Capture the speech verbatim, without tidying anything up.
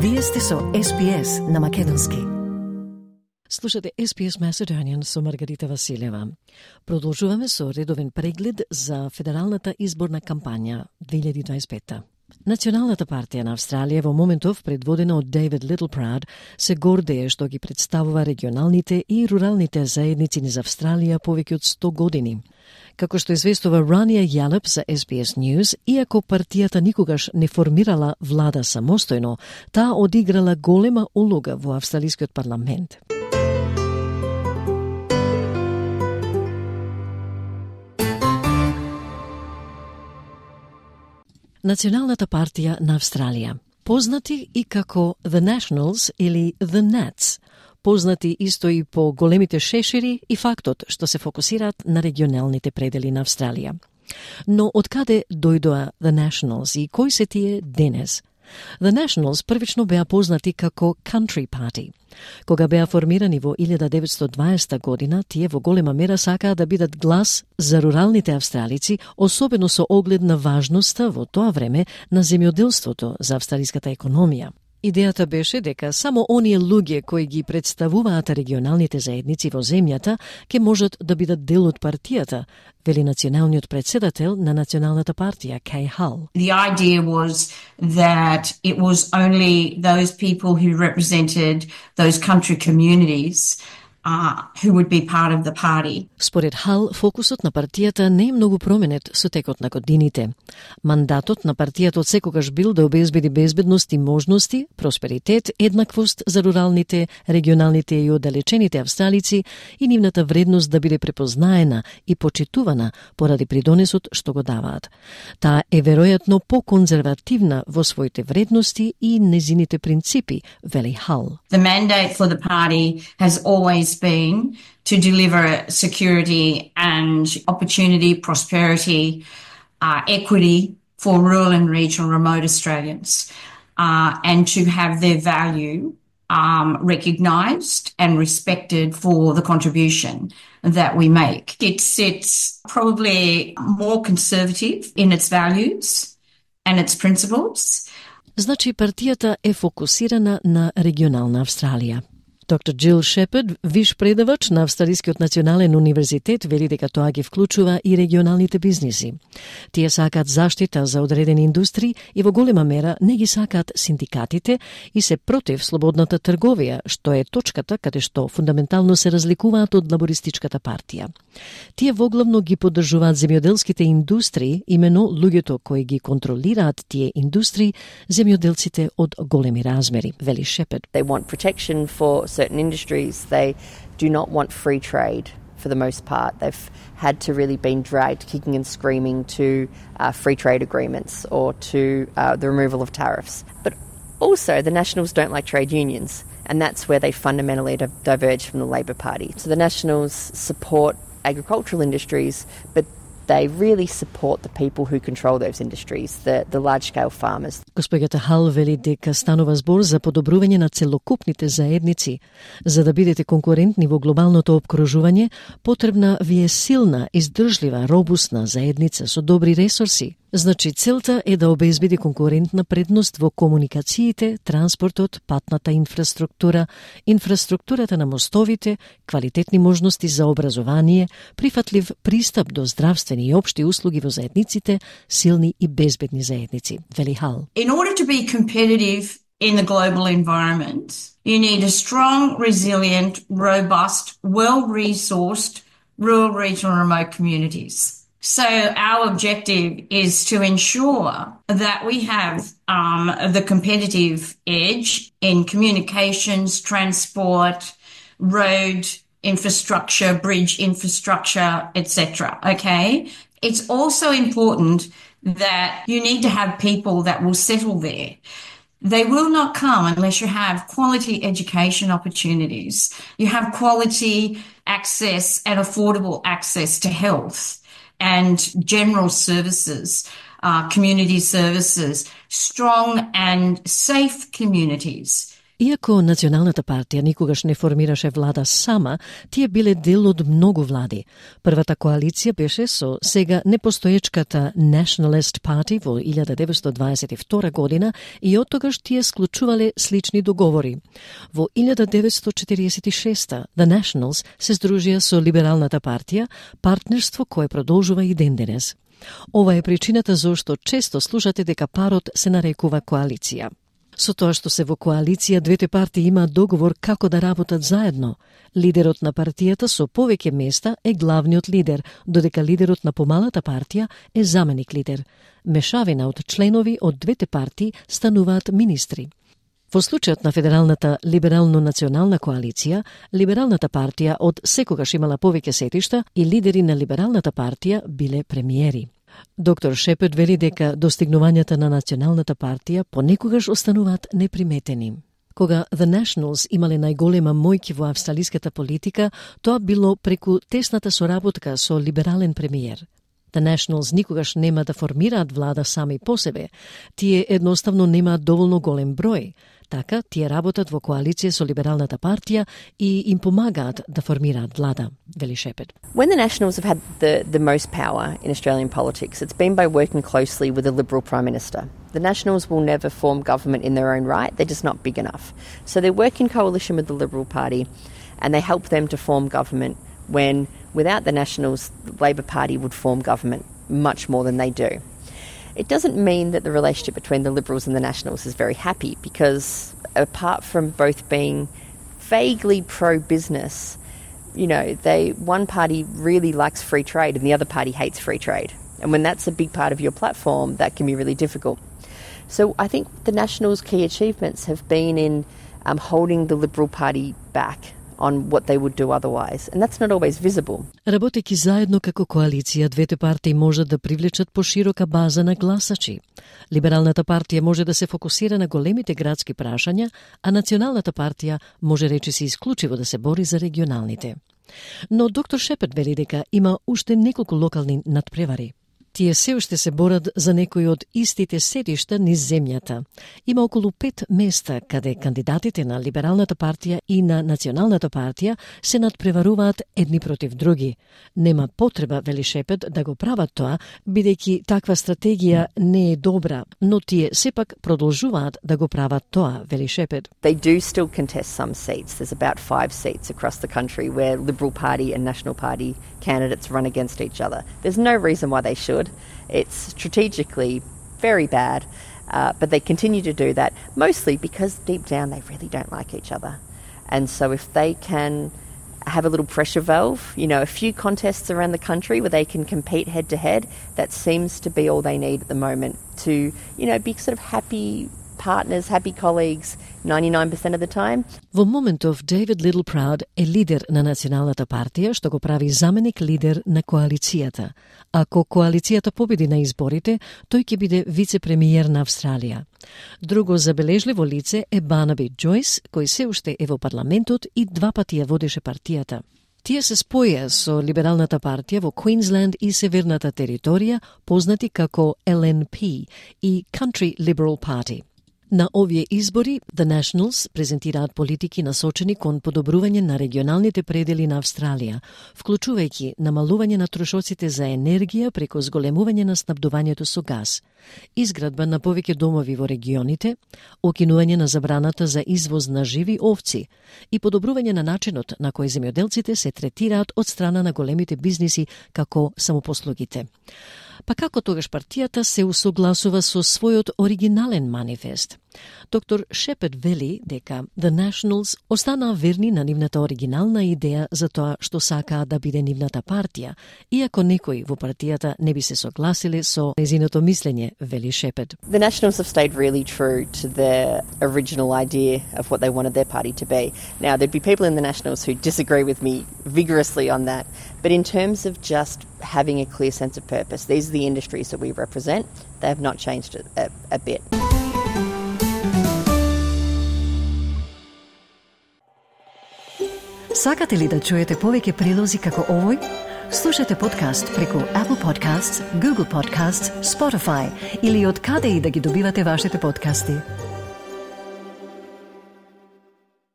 Вие сте со Ес Би Ес на македонски. Слушате Ес Би Ес Macedonian со Маргарита Василева. Продолжуваме со редовен преглед за федералната изборна кампања две илјади дваесет и пета. Националната партија на Австралија во моментов, предводена од Дейвид Литлпрад, се гордее што ги представува регионалните и руралните заедници низ Австралија повеќе од сто години. Како што известува Рания Јалеп за Ес Би Ес News, иако партијата никогаш не формирала влада самостојно, таа одиграла голема улога во австралискиот парламент. Националната партија на Австралија, познати и како The Nationals или The Nats, познати исто и по големите шешири и фактот што се фокусираат на регионалните предели на Австралија. Но од каде дојдоа The Nationals и кои се тие денес? The Nationals првично беа познати како Country Party. Кога беа формирани во илјада деветстотини и дваесета година, тие во голема мера сакаа да бидат глас за руралните австралици, особено со оглед на важноста во тоа време на земјоделството за австралиската економија. Идејата беше дека само оние луѓе кои ги представуваат регионалните заедници во земјата ќе можат да бидат дел од партијата, вели националниот председател на Националната партија Кей Хал. The idea was that it was only those people who represented those country communities Uh, who would be part of the party. Според Хал, фокусот на партијата не е многу променет со текот на годините. Мандатот на партијата од секогаш бил да обезбеди безбедност и можности, просперитет, еднаквост за руралните, регионалните и оддалечените австралици и нивната вредност да биде препознаена и почитувана поради придонесот што го даваат. Таа е веројатно поконзервативна во своите вредности и незините принципи, вели Хал. The mandate for the party has always been to deliver security and opportunity, prosperity, uh, equity for rural and regional remote Australians, uh, and to have their value um, recognised and respected for the contribution that we make. It's, it's probably more conservative in its values and its principles. Значи партијата е фокусирана на регионална Австралија. Доктор Джил Шепард, виш предавач на Австралискиот национален универзитет, вели дека тоа ги вклучува и регионалните бизниси. Тие сакаат заштита за одредени индустрии и во голема мера не ги сакаат синдикатите и се против слободната трговија, што е точката каде што фундаментално се разликуваат од лабористичката партија. Тие воглавно ги поддржуваат земјоделските индустрии, имено луѓето кои ги контролираат тие индустрии, земјоделците од големи размери, вели Шепард. They want protection for certain industries. They do not want free trade for the most part. They've had to really been dragged kicking and screaming to uh, free trade agreements or to uh, the removal of tariffs. But also the Nationals don't like trade unions, and that's where they fundamentally diverge from the Labor Party. So the Nationals support agricultural industries, but they really support the people who control those industries, the, the large-scale farmers. Госпоѓата Хал вели дека станува збор за подобрување на целокупните заедници. За да бидете конкурентни во глобалното опкружување, потребна ви е силна, издржлива, робусна заедница со добри ресурси. Значи, целта е да обезбеди конкурентна предност во комуникациите, транспортот, патната инфраструктура, инфраструктурата на мостовите, квалитетни можности за образование, прифатлив пристап до здравствени и општи услуги во заедниците, силни и безбедни заедници, вели Хал. In order to be competitive in the global environment, you need a strong, resilient, robust, well-resourced rural, regional, remote communities. So our objective is to ensure that we have um, the competitive edge in communications, transport, road infrastructure, bridge infrastructure, et cetera. Okay? It's also important that you need to have people that will settle there. They will not come unless you have quality education opportunities. You have quality access and affordable access to health and general services, uh, community services, strong and safe communities. Иако Националната партија никогаш не формираше влада сама, тие биле дел од многу влади. Првата коалиција беше со сега непостоечката Nationalist Party во илјада деветстотини дваесет и втора година и оттогаш тие склучувале слични договори. Во илјада деветстотини четиридесет и шеста The Nationals се здружија со Либералната партија, партнерство кое продолжува и ден денес. Ова е причината зошто често слушате дека парот се нарекува коалиција. Со тоа што се во коалиција, двете партии имаат договор како да работат заедно. Лидерот на партијата со повеќе места е главниот лидер, додека лидерот на помалата партија е заменик лидер. Мешавина од членови од двете партии стануваат министри. Во случајот на Федералната либерално-национална коалиција, Либералната партија од секогаш имала повеќе сетишта и лидери на Либералната партија биле премиери. Доктор Шепард вели дека достигнувањата на Националната партија понекогаш остануваат неприметени. Кога The Nationals имале најголема мојки во австралиската политика, тоа било преку тесната соработка со либерален премиер. The Nationals никогаш нема да формираат влада сами по себе. Тие едноставно немаат доволно голем број. Така, тие работат во коалиција со Либералната партија и им помагаат да формираат влада, вели Шепард. When the Nationals have had the, the most power in Australian politics, it's been by working closely with a Liberal Prime Minister. The Nationals will never form government in their own right. They're just not big enough. So they work in coalition with the Liberal Party and they help them to form government when, without the Nationals, the Labor Party would form government much more than they do. It doesn't mean that the relationship between the Liberals and the Nationals is very happy because apart from both being vaguely pro-business, you know, they one party really likes free trade and the other party hates free trade. And when that's a big part of your platform, that can be really difficult. So I think the Nationals' key achievements have been in um, holding the Liberal Party back on what they would do otherwise. And that's not always visible. Работејќи заедно како коалиција, двете партии можат да привлечат поширока база на гласачи. Либералната партија може да се фокусира на големите градски прашања, а Националната партија може речиси исклучиво да се бори за регионалните. Но доктор Шепард вели дека има уште неколку локални надпревари. Тие се уште се борат за некои од истите седишта низ земјата. Има околу пет места каде кандидатите на Либералната партија и на Националната партија се надпреваруваат едни против други. Нема потреба, вели Шепард, да го прават тоа, бидејќи таква стратегија не е добра, но тие сепак продолжуваат да го прават тоа, вели Шепард. They do still contest some seats. There's about five seats across the country where Liberal Party and National Party candidates run against each other. There's no reason why they should. It's strategically very bad, uh, but they continue to do that, mostly because deep down they really don't like each other. And so if they can have a little pressure valve, you know, a few contests around the country where they can compete head to head, that seems to be all they need at the moment to, you know, be sort of happy partners, happy colleagues ninety-nine percent of the time. Во моментов David Littleproud е лидер на Националната партија, што го прави заменик лидер на коалицијата. Ако коалицијата победи на изборите, тој ќе биде вице-премиер на Австралија. Друго забележливо лице е Барнаби Джойс, кој се уште е во парламентот и два пати ја водеше партијата. Тие се споја со Либералната партија во Квинсленд и Северната територија, познати како Л Н П и Country Liberal Party. На овие избори, The Nationals презентираат политики насочени кон подобрување на регионалните предели на Австралија, вклучувајќи намалување на трошоците за енергија преку зголемување на снабдувањето со газ, изградба на повеќе домови во регионите, окинување на забраната за извоз на живи овци и подобрување на начинот на кој земјоделците се третираат од страна на големите бизниси како самопослугите. Па како тогаш партијата се усогласува со својот оригинален манифест? Доктор Шепард вели дека The Nationals останаа верни на нивната оригинална идеја за тоа што сакаа да биде нивната партија, иако некои во партијата не би се согласиле со незиното мислење, вели Шепард. The Nationals have stayed really true to their original idea of what they wanted their party to be. Now, there'd be people in the Nationals who disagree with me vigorously on that, but in terms of just having a clear sense of purpose, these are the industries that we represent. They have not changed a, a, a bit. Сакате ли да чуете повеќе прилози како овој? Слушате подкаст преку Apple Podcasts, Google Podcasts, Spotify или од каде и да ги добивате вашите подкасти.